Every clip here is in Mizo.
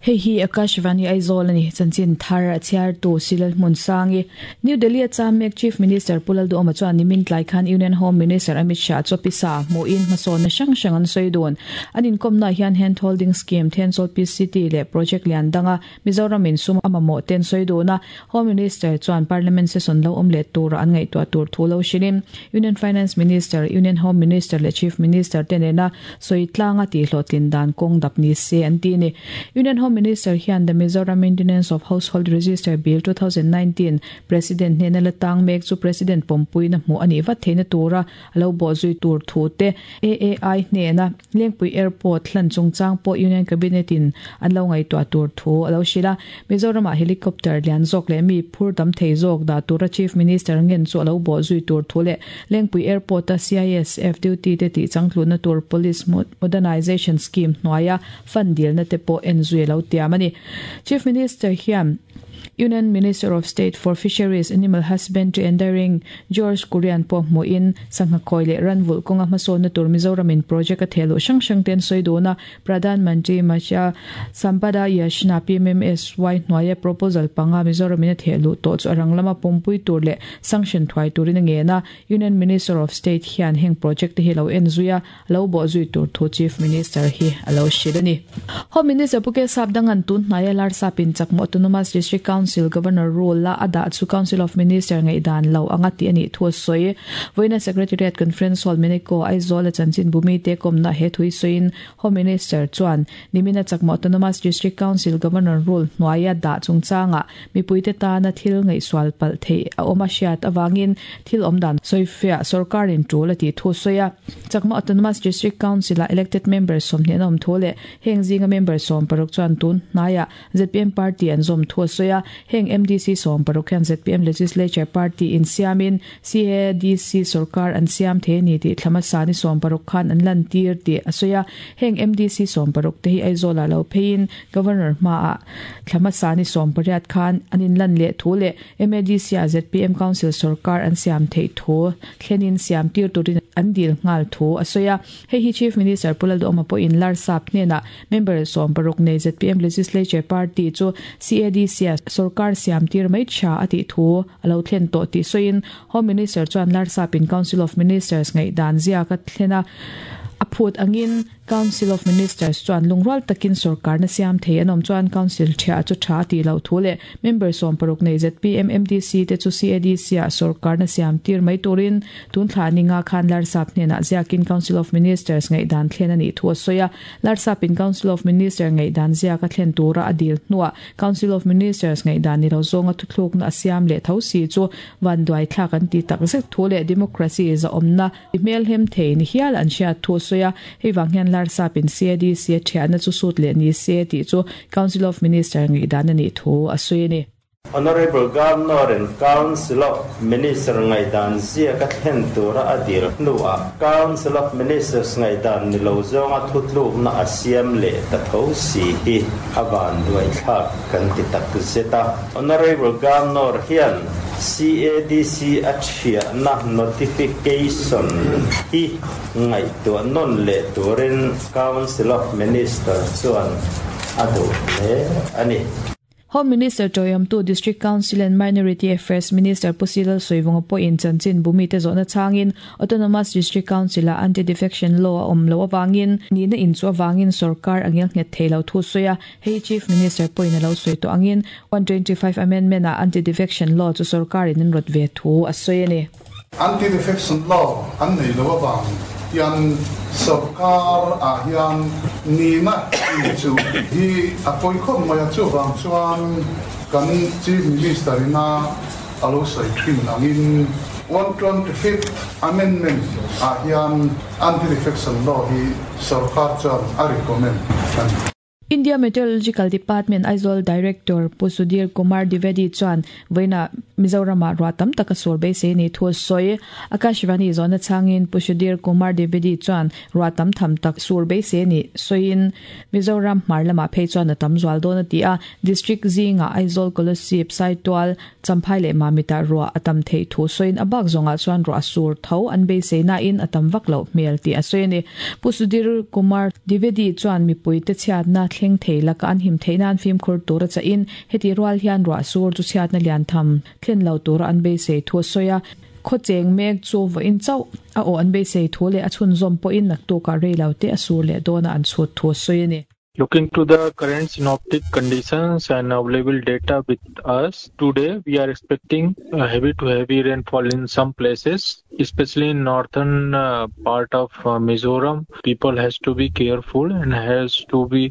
Hei hi Akashvani Aizawl a ni, chanchin thar a chhiartu Silal Hmunsangi. New Delhi a cham mek Chief Minister Pu Lalduhawma chuan nimin tlai khan Union Home Minister Amit Shah chu pisa hmuhin hmasawnna hrang hrang an sawi dun. An inkawmnaah hian Hand Holding Scheme, Thenzawl PCT leh Project lian danga Mizoram in sum a mamawh te an sawi dun a. Home Minister chuan Parliament session lo awm leh tura an ngaihtuah tur thu lo hrilhin Union Finance Minister, Union Home Minister leh Chief Minister te nena sawi tlanga tihhlawhtlin dan kawng dap ni se an ti a ni. Union Home Minister hian The Mizoram Maintenance of Household Register Bill 2019 President hnena la tang mek chu President pawmpuina hmuh a nih vat theihna tura a lo bawhzui tur thu te AAI hnena Lengpui Airport hlan chungchang pawh Union Cabinet in an lo ngaihtuah tur thu a lo hrilh a. Mizoramah helicopter lian zawk leh mi phur tam thei zawk dah tura Chief Minister ngen chu a lo bawhzui tur thu leh Lengpui Airport-a CISF duty te tih changtlunna tur Police Modernization Scheme hnuaia fund dilna te pawh en zui a lo tiam a ni. Chief Minister hian Union Minister of State for Fisheries, Animal Husbandry and Dairying George Kurian pawh hmuhin sangha khawi leh ranvulh kawnga hmasawnna tur Mizoramin project a thehluh hrang hrang te an sawi dun a. Pradhan Mantri Matsya Sampada Yojana, PMMSY, hnuaia proposal panga Mizoramin a thehluh tawh chu a rang lama pawmpui tur leh sanction thuai turin a ngen a. Union Minister of State hian heng project te hi lo en zui a, lo bawh zui tur thu Chief Minister hi a lo hrilh a ni. Home Minister Pu Kesap Dangan tun hnaia Larsapin Chakma Autonomous District Council Governor role a a dah chu Council of Minister ngaihdan lo anga tih a nih thu a sawi. Vawiina Secretariat Conference Hall Meneko, Aizawl a chanchin bumite kawmna he thu hi sawiin Home Minister chuan nimina Chakma Autonomous District Council Governor role hnuaia dah chungchangah Mipuite tana thil ngaihsual palh theih a awm a hriat avangin thil awmdan sawifiah sorkarin tul a tih thu sawi a. Chakma Autonomous District Council-ah elected member 20 an awm thu leh heng zinga member 16 chuan tun hnaiah zpm party an zawm thu a sawi a. Heng MDC 16 hian zpm Legislature Party insiamin CADC sorkar an siam thei a ni tih thla hmasa ni 16 khan an lantir tih a sawi a. Heng MDC 16 te hi Aizawlah lo pheiin Governor hmaah thla hmasa ni 18 khan an inlan leh thu leh MADC-ah zpm Council sorkar an siam theih thu thlenin siam tir turin an dil nghal thu a sawi a. Hei hi Chief Minister Pu Lalduhawma pawhin Larsap hnenah member 16 nei zpm Legislature Party chu CADC-ah sorkar siam tir mai tha a tih thu a lo thlen tawh tih sawiin Home Minister chuan Larsapin Council of Ministers ngaihdan ziak a thlen a, a phut angin Council of Ministers chuan lungrual takin sorkarna siam thei an awm chuan Council thiah chu tha a tih loh thu leh member 60 nei zpm MDC te chu CADC-ah sorkarna siam tir mai turin tun thla ninga khan Larsap hnenah ziakin Council of Ministers ngaihdan thlen a nih thu a sawi a. Larsapin Council of Minister ngaihdan ziak a thlen tura a dil hnuah Council of Ministers ngaihdan ni lo zawnga thuthlukna a siam leh tho si chu vanduai thlak an ti takzet thu leh democracy zahawmna I hmelhem thei ni hial an hriat thu a sawi a, hei vang hian Larsapin CADC a thiahna chu sut leh ni se tih chu Council of Minister ngaihdan a nih thu a sawi a ni. Honourable Governor in Council of Minister ngaihdan ziak a thlen tura a dil hnuah Council of Ministers ngaihdan ni lo zawnga thutlukna a siam leh ta tho si hi a vanduaithlak kan ti tak zet a. Honourable Governor hian CADC a Hriatna notification hi ngaihtuah nawn leh turin Council of Minister chuan a duh hle a ni. Home Minister tawiawmtu District Council and Minority Affairs Minister Pu Silal Sawivunga pawhin chanchin bumite zawhna chhangin Autonomous District Council-ah Anti-Defection Law a awm loh avangin nihna inchuh avangin sorkar a ngelnghet thei lo thu sawi a. Hei Chief Minister pawhin a lo sawi tawh angin 125 Amendment ah Anti-Defection Law chu sorkarin an rawt ve thu a sawi a ni. Anti-Defection Law an nei lo avang hian sorkar ah hian nihna inchuh hi a pawi khawp mai a, chuvang chuan kan Chief Minister ina a lo sawi thin angin 125th Amendment ah hian Anti-Defection Law hi sorkar chuan a recommend a ni. India Meteorological Department Aizawl Director Pu Sudhir Kumar Dwivedi chuan vawiinah Mizoramah ruah tam tak a sur beisei ni thu a sawi. Akashvani zawhna chhangin Pu Sudhir Kumar Dwivedi chuan ruah tam tham tak sur beisei a nih sawiin Mizoram hmar lamah phei chuan a tam zual dawn a ti a. District zingah Aizawl, Kolasib, Saitual, Champhai leh Mamitah ruah a tam theih thu sawiin a bak zawngah chuan ruah a sur tho an beisei nain a tam vak loh hmel tih a sawi a ni. Pu Sudhir Kumar Dwivedi chuan mipuite chhiatna thleng thei laka an him theih nan fimkhur tura chahin heti rual hian ruah sur chu chhiatna lian tham thlen lo tura an beisei thu a sawi a. Khaw cheng mek chu vawiin chauh a aw an beisei thu leh a chhunzawm pawhin naktukah rei lo te a sur leh dawna an chhut thu a sawi a ni. Looking to the current synoptic conditions and available data with us, today we are expecting heavy to heavy rainfall in some places, especially in northern part of Mizoram. People has to be careful and has to be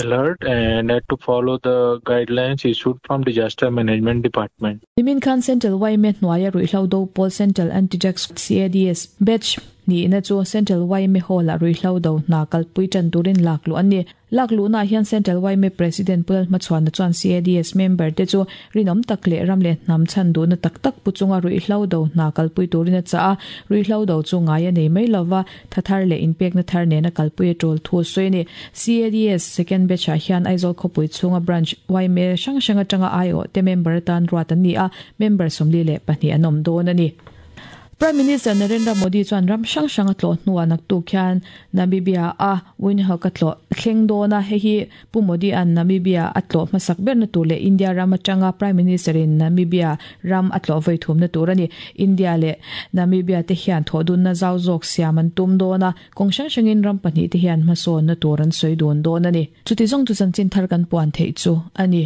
alert and had to follow the guidelines issued from Disaster Management Department. Nimin khan Central YMA hnuaia ruihhlo do pawl Central Anti-Drug CADS batch nihna chu Central YMA Hall-ah ruihhlo do hna kalpui tan turin lak luh an ni. Lak luhnaah hian Central YMA President Pu Lalhmachhuana chuan CADS member te chu rinawm tak leh ram leh hnam chhan duhna tak tak pu chunga ruihhlo do hna kalpui turin a chah a, ruihhlo do chu ngai a nei mai lova, tha thar leh inpekna thar nena kalpui a tul thu a sawi a ni. CADS second batch-ah hian Aizawl khawpui chhunga branch YMA hrang hrang atanga aiawh te member atan ruat an ni a, member 42 an awm dawn a ni. Prime Minister Narendra Modi chuan ram hrang hrang a tlawh hnuah naktuk hian Namibia a Windhoek a tlawh thleng dawn a, hei hi Pu Modi-a'n Namibia a tlawh hmasak berna tur leh India ram atanga Prime Minister-in Namibia ram a tlawh vawi thumna tur a ni. India leh Namibia te hian thawhdunna zau zawk siam an tum dawn a, kawng hrang hrangin ram pahnih te hian hmasawnna tur an sawi dun dawn a ni. Chuti zawng chu chanchin thar kan puan theih chu a ni.